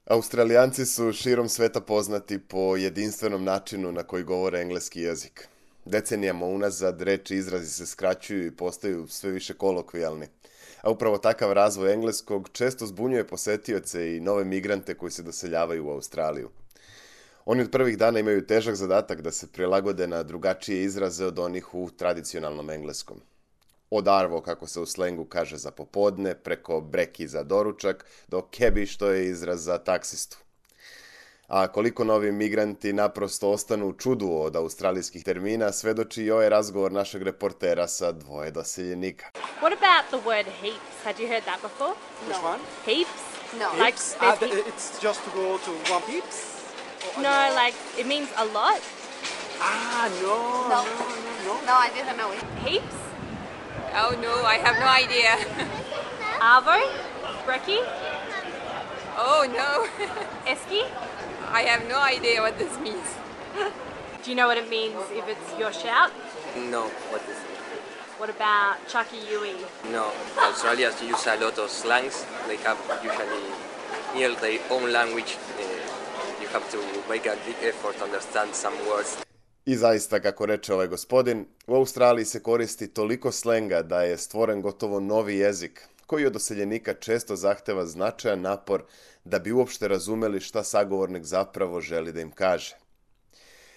Australijanci su širom sveta poznati po jedinstvenom načinu na koji govore engleski jezik. Decenijama unazad reči i izrazi se skraćuju i postaju sve više kolokvijalni. A upravo takav razvoj engleskog često zbunjuje posetioce i nove migrante koji se doseljavaju u Australiju. Oni od prvih dana imaju težak zadatak da se prilagode na drugačije izraze od onih u tradicionalnom engleskom. Od arvo, kako se u slengu kaže za popodne, preko breki za doručak, do kebi, što je izraz za taksistu. A koliko novi migranti naprosto ostanu u čudu od australijskih termina, svedoči i ovaj razgovor našeg reportera sa dvoje doseljenika. What about the word heaps? Had you heard that before? Which one? Heaps? No. Like there's It's just to go to one peeps? no, like it means a lot. No. No, I didn't know it. Heaps? Oh no, I have no idea. Arvo? Brekkie? Oh no, Esky? I have no idea what this means. Do you know what it means if it's your shout? No, what is it? What about Chucky Yui? No, Australians use a lot of slangs. They have usually near their own language. You have to make a big effort to understand some words. I zaista, kako reče ovaj gospodin, u Australiji se koristi toliko slenga da je stvoren gotovo novi jezik, koji od doseljenika često zahteva značajan napor da bi uopšte razumeli šta sagovornik zapravo želi da im kaže.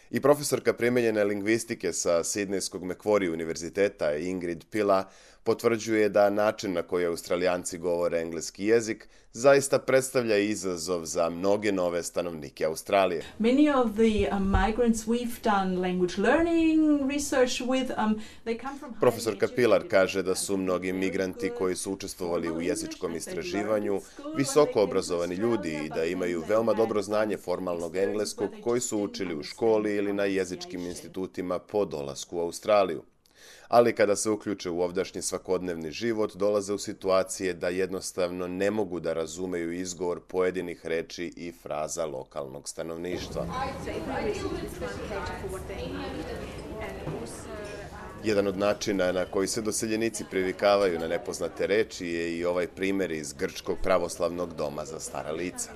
I profesorka primenjene lingvistike sa Sidnejskog Macquarie univerziteta Ingrid Pilla potvrđuje da način na koji Australijanci govore engleski jezik zaista predstavlja izazov za mnoge nove stanovnike Australije. Many of the migrants we've done language learning research with, they come from Profesorka Pilar kaže da su mnogi migranti koji su učestvovali u jezičkom istraživanju visoko obrazovani ljudi i da imaju veoma dobro znanje formalnog engleskog koji su učili u školi ili na jezičkim institutima po dolasku u Australiju. Ali kada se uključe u ovdašnji svakodnevni život, dolaze u situacije da jednostavno ne mogu da razumeju izgovor pojedinih reči i fraza lokalnog stanovništva. Jedan od načina na koji se doseljenici privikavaju na nepoznate reči je i ovaj primer iz Grčkog pravoslavnog doma za stara lica.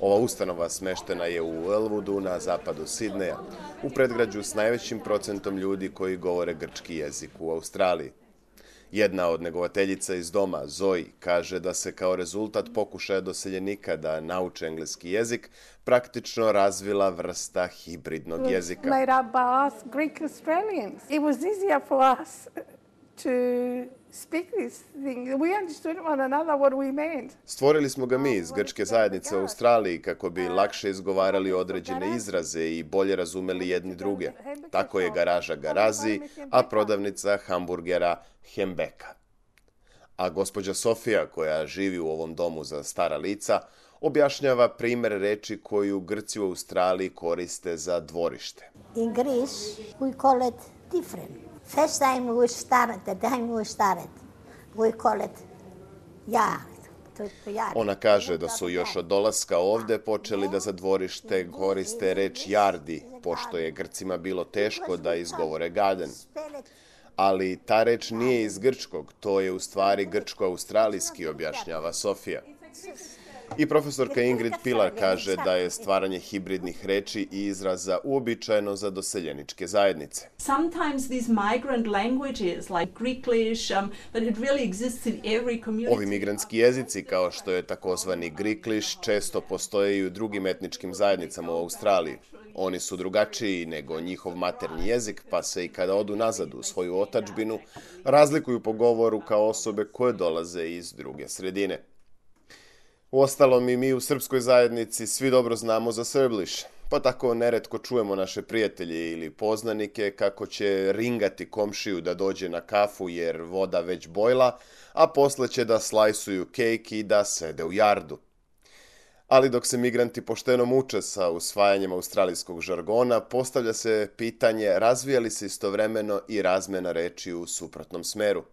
Ova ustanova smeštena je u Elwoodu na zapadu Sidneja, u predgrađu s najvećim procentom ljudi koji govore grčki jezik u Australiji. Jedna od negovateljica iz doma, Zoe, kaže da se kao rezultat pokušaja doseljenika da nauče engleski jezik praktično razvila vrsta hibridnog jezika. Made up by us Greek Australians. It was easier for us to speak this thing. We understood one another what we meant. Stvorili smo ga mi iz grčke zajednice u Australiji kako bi lakše izgovarali određene izraze i bolje razumeli jedni druge. Tako je garaža Garazi, a prodavnica hamburgera Hembeka. A gospođa Sofija, koja živi u ovom domu za stara lica, objašnjava primer reči koju Grci u Australiji koriste za dvorište. In Greece, we call it different. First time we started, we call it yard. Ona kaže da su još od dolaska ovde počeli da za dvorište koriste reč jardi, pošto je Grcima bilo teško da izgovore garden. Ali ta reč nije iz grčkog, to je u stvari grčko-australijski, objašnjava Sofija. I profesorka Ingrid Pilar kaže da je stvaranje hibridnih reči i izraza uobičajeno za doseljeničke zajednice. Sometimes these migrant languages like Greeklish, but it really exists in every community. Ovi migrantski jezici, kao što je takozvani Greeklish, često postoje i u drugim etničkim zajednicama u Australiji. Oni su drugačiji nego njihov maternji jezik, pa se i kada odu nazad u svoju otadžbinu, razlikuju po govoru kao osobe koje dolaze iz druge sredine. Uostalom i mi u srpskoj zajednici svi dobro znamo za Serblish, pa tako neretko čujemo naše prijatelje ili poznanike kako će ringati komšiju da dođe na kafu jer voda već bojla, a posle će da slajsuju kejk i da sede u jardu. Ali dok se migranti pošteno muče sa usvajanjem australijskog žargona, postavlja se pitanje razvija li se istovremeno i razmena reči u suprotnom smeru.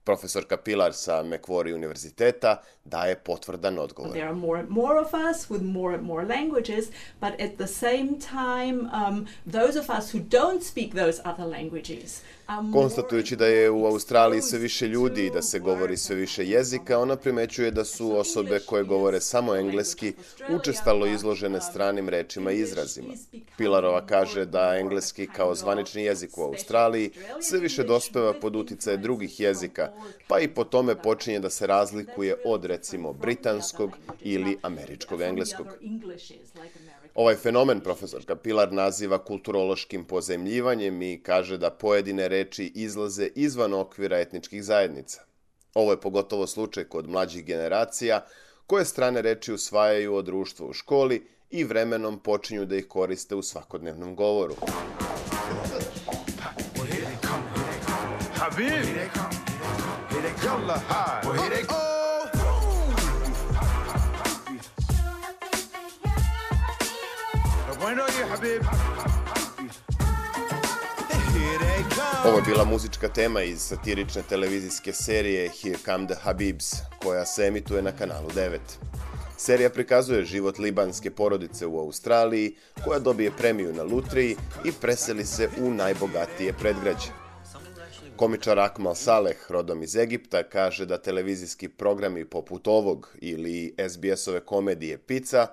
Profesorka Pilar sa Macquarie univerziteta daje potvrdan odgovor. There are more of us with more languages, but at the same time, those of us who don't speak those other languages Konstatujući da je u Australiji sve više ljudi i da se govori sve više jezika, ona primećuje da su osobe koje govore samo engleski učestalo izložene stranim rečima i izrazima. Pilarova kaže da engleski kao zvanični jezik u Australiji sve više dospeva pod uticaje drugih jezika, pa i po tome počinje da se razlikuje od, recimo, britanskog ili američkog engleskog. Ovaj fenomen profesorka Pilar naziva kulturološkim pozajmljivanjem i kaže da pojedine reči izlaze izvan okvira etničkih zajednica. Ovo je pogotovo slučaj kod mlađih generacija koje strane reči usvajaju od društva u školi i vremenom počinju da ih koriste u svakodnevnom govoru. Ovo je bila muzička tema iz satirične televizijske serije Here Come the Habibs, koja se emituje na kanalu 9. Serija prikazuje život libanske porodice u Australiji, koja dobije premiju na lutriji i preseli se u najbogatije predgrađe. Komičar Akmal Saleh, rodom iz Egipta, kaže da televizijski programi poput ovog ili SBS-ove komedije Pizza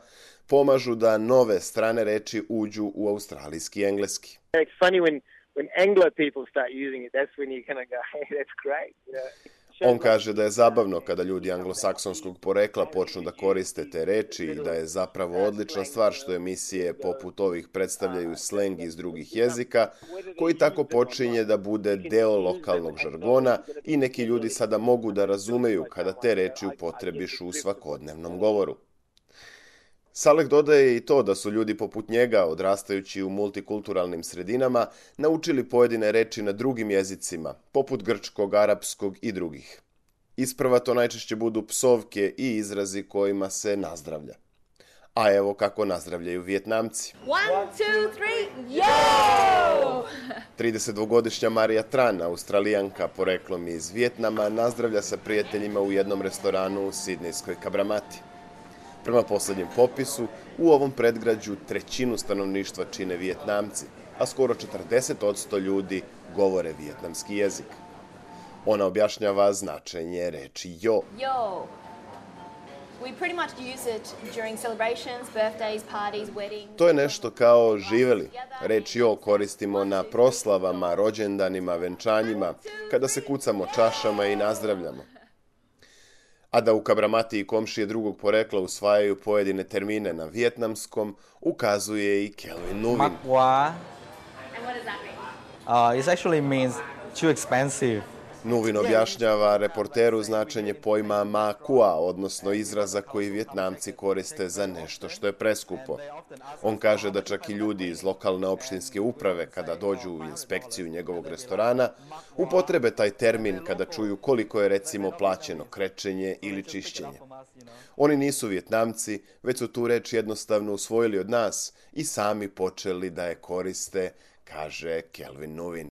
pomažu da nove strane reči uđu u australijski engleski. It's funny when Anglo people start using it, that's when you kind of go, hey, that's great. On kaže da je zabavno kada ljudi anglosaksonskog porekla počnu da koriste te reči i da je zapravo odlična stvar što emisije poput ovih predstavljaju sleng iz drugih jezika, koji tako počinje da bude deo lokalnog žargona i neki ljudi sada mogu da razumeju kada te reči upotrebiš u svakodnevnom govoru. Saleh dodaje i to da su ljudi poput njega, odrastajući u multikulturalnim sredinama, naučili pojedine reči na drugim jezicima, poput grčkog, arapskog i drugih. Isprva to najčešće budu psovke i izrazi kojima se nazdravlja. A evo kako nazdravljaju Vijetnamci. 1, 2, 3, yo! 32-godišnja Marija Tran, Australijanka poreklom iz Vijetnama, nazdravlja sa prijateljima u jednom restoranu u sidnejskoj Kabramati. Prema poslednjem popisu, u ovom predgrađu trećinu stanovništva čine Vijetnamci, a skoro 40% ljudi govore vijetnamski jezik. Ona objašnjava značenje reči jo. Yo. We pretty much use it during celebrations, birthdays, parties, weddings. To je nešto kao živeli. Reč jo koristimo na proslavama, rođendanima, venčanjima, kada se kucamo čašama i nazdravljamo. A da u Kabramati i komšije drugog porekla usvajaju pojedine termine na vijetnamskom, ukazuje i Kelvin Nuvin. Makwa. And what does that mean? It actually means too expensive. Nuvin objašnjava reporteru značenje pojma makua, odnosno izraza koji Vijetnamci koriste za nešto što je preskupo. On kaže da čak i ljudi iz lokalne opštinske uprave, kada dođu u inspekciju njegovog restorana, upotrebe taj termin kada čuju koliko je recimo plaćeno krečenje ili čišćenje. Oni nisu Vijetnamci, već su tu reč jednostavno usvojili od nas i sami počeli da je koriste, kaže Kelvin Nuvin.